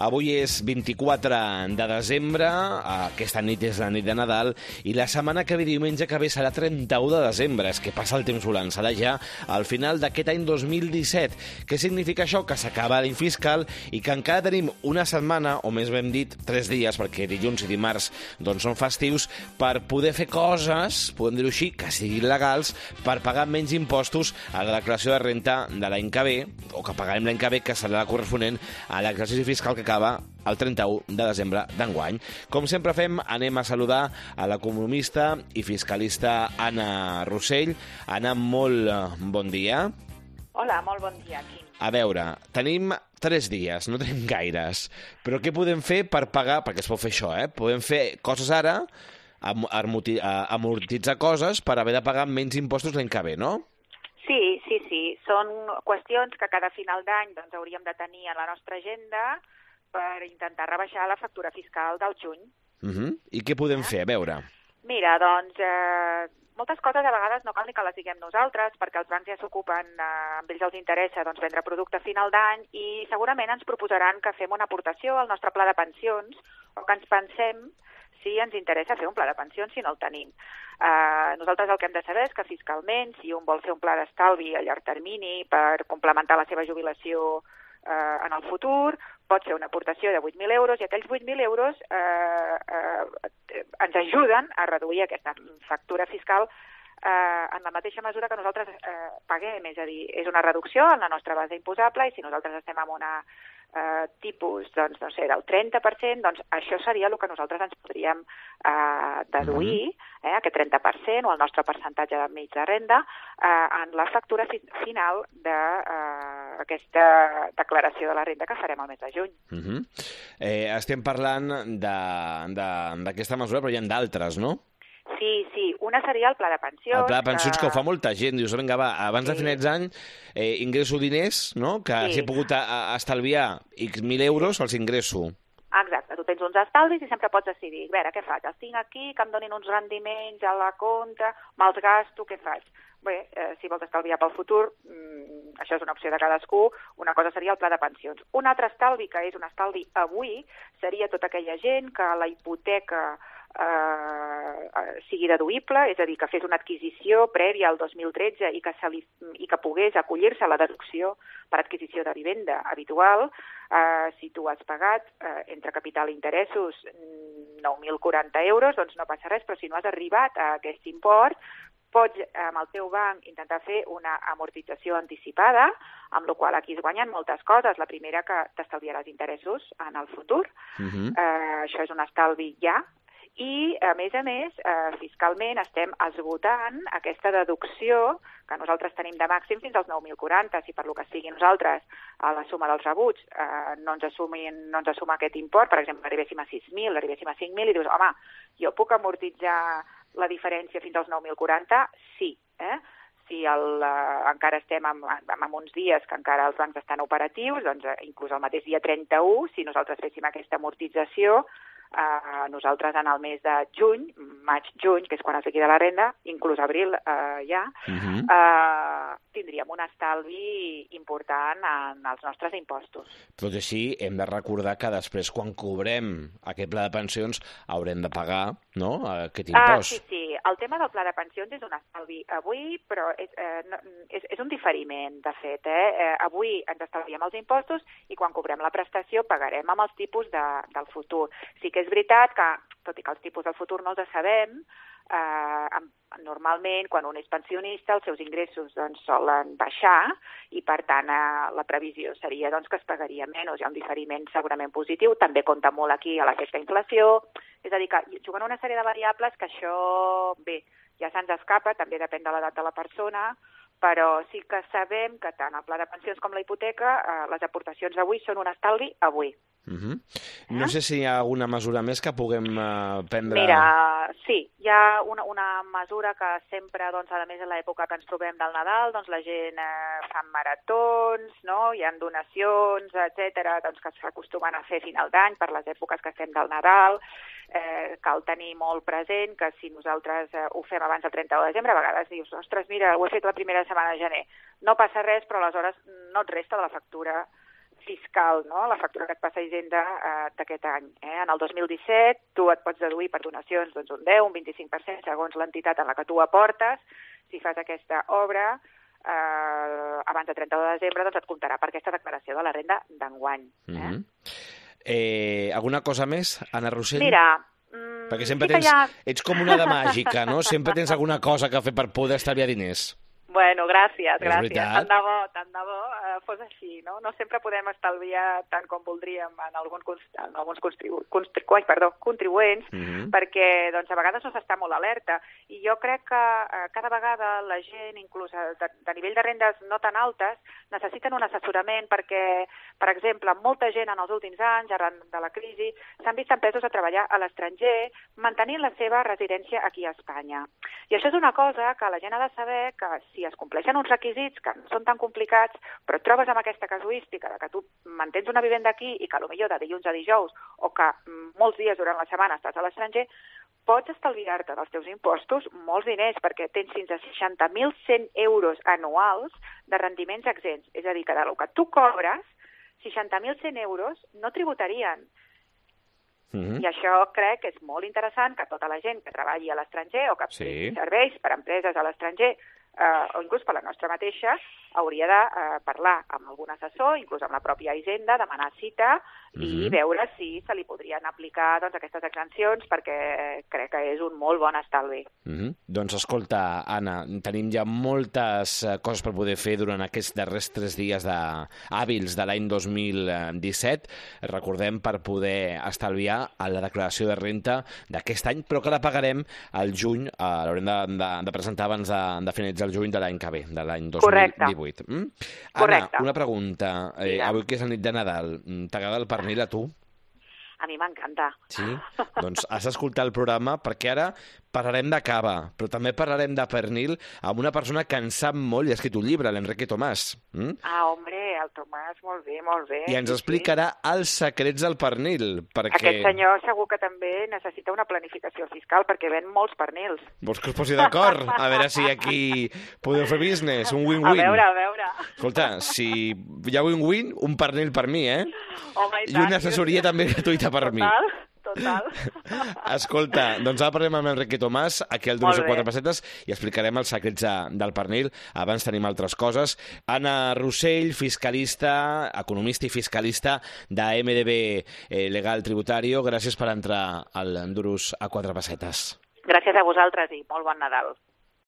Avui és 24 de desembre, aquesta nit és la nit de Nadal, i la setmana que ve, diumenge que ve, serà 31 de desembre. És que passa el temps volant, serà ja al final d'aquest any 2017. Què significa això? Que s'acaba l'any fiscal i que encara tenim una setmana, o més ben dit, 3 dies, perquè dilluns i dimarts doncs, són festius, per poder fer coses, podem dir-ho així, que siguin legals, per pagar menys impostos a la declaració de renta de l'any que ve, o que pagarem l'any que ve, que serà la corresponent a l'exercici fiscal que acaba el 31 de desembre d'enguany. Com sempre fem, anem a saludar a l'economista i fiscalista Anna Rossell. Anna, molt bon dia. Hola, molt bon dia, Quim. A veure, tenim 3 dies, no tenim gaires, però què podem fer per pagar, perquè es pot fer això, podem fer coses ara, amortitzar coses per haver de pagar menys impostos l'any que ve, no? Sí. Són qüestions que cada final d'any doncs, hauríem de tenir a la nostra agenda per intentar rebaixar la factura fiscal del juny. I què podem fer? A veure. Mira, doncs, moltes coses a vegades no cal ni que les diguem nosaltres, perquè els bancs ja s'ocupen, amb ells els interessa doncs, vendre producte a final d'any i segurament ens proposaran que fem una aportació al nostre pla de pensions o que ens pensem si ens interessa fer un pla de pensions si no el tenim. Nosaltres el que hem de saber és que fiscalment, si un vol fer un pla d'estalvi a llarg termini per complementar la seva jubilació en el futur, pot fer una aportació de 8.000 euros i aquells 8.000 euros ens ajuden a reduir aquesta factura fiscal en la mateixa mesura que nosaltres paguem, és a dir, és una reducció en la nostra base imposable i si nosaltres estem en una tipus, doncs, no sé, del 30%, doncs això seria el que nosaltres ens podríem deduir, aquest 30% o el nostre percentatge de mig de renda, en la factura final d'aquesta declaració de la renda que farem el mes de juny. Estem parlant d'aquesta mesura, però hi ha d'altres, no? Sí, una seria el pla de pensions. El pla de pensions que ho fa molta gent. Dius, vinga, va, abans de finals d'any ingresso diners, no? Que si he pogut estalviar X 1.000 euros, els ingresso. Exacte, tu tens uns estalvis i sempre pots decidir, a veure, què faig? Els tinc aquí, que em donin uns rendiments a la compte, me'ls gasto, què faig? Bé, si vols estalviar pel futur, això és una opció de cadascú, una cosa seria el pla de pensions. Un altre estalvi, que és un estalvi avui, seria tota aquella gent que la hipoteca sigui deduïble, és a dir, que fes una adquisició prèvia al 2013 i que pogués acollir-se a la deducció per adquisició de vivenda habitual. Si tu has pagat entre capital i interessos 9.040 euros, doncs no passa res, però si no has arribat a aquest import, pots amb el teu banc intentar fer una amortització anticipada, amb la qual aquí es guanyen moltes coses. La primera, que t'estalviaràs interessos en el futur. Això és un estalvi ja. I, a més, fiscalment estem esgotant aquesta deducció que nosaltres tenim de màxim fins als 9.040. Si per lo que sigui nosaltres a la suma dels rebuts no ens assuma aquest import, per exemple, arribéssim a 6.000, arribéssim a 5.000 i dius, home, jo puc amortitzar la diferència fins als 9.040? Sí, Si encara estem en uns dies que encara els bancs estan operatius, doncs inclús el mateix dia 31, si nosaltres féssim aquesta amortització, nosaltres en el mes de juny, maig-juny, que és quan es liquida la renda, inclús abril tindríem un estalvi important en els nostres impostos. Tot i així, hem de recordar que després, quan cobrem aquest pla de pensions, haurem de pagar, no?, aquest impost. Sí. El tema del pla de pensions és un estalvi avui, però és un diferiment, de fet. Avui ens estalviem els impostos i quan cobrem la prestació pagarem amb els tipus del futur. Sí que és veritat que, tot i que els tipus del futur no els sabem, normalment, quan un és pensionista, els seus ingressos doncs, solen baixar i, per tant, la previsió seria doncs, que es pagaria menys. Hi ha un diferiment segurament positiu. També compta molt aquí a l'efecte inflació. És a dir, que jugant una sèrie de variables que això, bé, ja se'ns escapa, també depèn de l'edat de la persona, però sí que sabem que tant el pla de pensions com la hipoteca, les aportacions d'avui són un estalvi avui. No sé si hi ha alguna mesura més que puguem prendre... Mira, sí, hi ha una mesura que sempre, doncs, a més de l'època que ens trobem del Nadal, doncs la gent fa maratons, no? Hi ha donacions, etcètera, doncs que s'acostumen a fer a final d'any per les èpoques que estem del Nadal. Cal tenir molt present que si nosaltres ho fem abans del 31 de desembre, a vegades dius, ostres, mira, ho he fet la primera setmana de gener. No passa res, però aleshores no et resta de la factura fiscal, no? La factura que et passa Hisenda d'aquest any. En el 2017 tu et pots deduir per donacions doncs, un 10, un 25%, segons l'entitat en la que tu aportes. Si fas aquesta obra abans de 31 de desembre, doncs et comptarà per aquesta declaració de la renda d'enguany. Alguna cosa més, Anna Rossell? Mira, perquè sempre ets com una de màgica, no? Sempre tens alguna cosa que fer per poder estalviar diners. Bueno, gràcies. Tant de bo fos així, no? No sempre podem estalviar tant com voldríem en alguns contribuents, perquè doncs, a vegades no s'està molt alerta. I jo crec que cada vegada la gent, inclús de nivell de rendes no tan altes, necessiten un assessorament perquè, per exemple, molta gent en els últims anys, arran de la crisi, s'han vist empesos a treballar a l'estranger, mantenint la seva residència aquí a Espanya. I això és una cosa que la gent ha de saber que si es compleixen uns requisits que no són tan complicats, però et trobes amb aquesta casuística de que tu mantens una vivenda aquí i que potser de dilluns a dijous o que molts dies durant la setmana estàs a l'estranger, pots estalviar-te dels teus impostos molts diners perquè tens fins a 60.100 euros anuals de rendiments exempts. És a dir, que del que tu cobres, 60.100 euros no tributarien. I això crec que és molt interessant que tota la gent que treballi a l'estranger o que serveis per empreses a l'estranger o inclús per la nostra mateixa, hauria de parlar amb algun assessor, inclús amb la pròpia Hisenda, demanar cita i veure si se li podrien aplicar doncs, aquestes exempcions, perquè crec que és un molt bon estalvi. Doncs escolta, Anna, tenim ja moltes coses per poder fer durant aquests darrers 3 dies hàbils de l'any 2017. Recordem, per poder estalviar a la declaració de renta d'aquest any, però que la pagarem al juny, l'haurem de presentar abans de finalitzar el juny de l'any que ve, de l'any 2018. Anna, una pregunta. Avui que és la nit de Nadal, t'agrada el pernil a tu? A mi m'encanta. Sí? Doncs has d'escoltar el programa perquè ara parlarem de cava, però també parlarem de pernil amb una persona que en sap molt i ha escrit un llibre, l'Enrique Tomàs. Hombre, el Tomàs, molt bé, molt bé. I ens explicarà els secrets del pernil. Perquè... Aquest senyor segur que també necessita una planificació fiscal perquè ven molts pernils. Vols que us posi d'acord? A veure si aquí podeu fer business, un win-win. A veure. Escolta, si hi ha win-win, un pernil per mi, Home, i una assessoria també gratuïta per mi. Total. Escolta, doncs ara parlem amb Enrique Tomàs, aquí al Duros de 4 Pessetes, i explicarem els secrets del pernil. Abans tenim altres coses. Anna Rossell, fiscalista, economista i fiscalista de MDB Legal Tributario. Gràcies per entrar al Duros a 4 Pessetes. Gràcies a vosaltres i molt bon Nadal.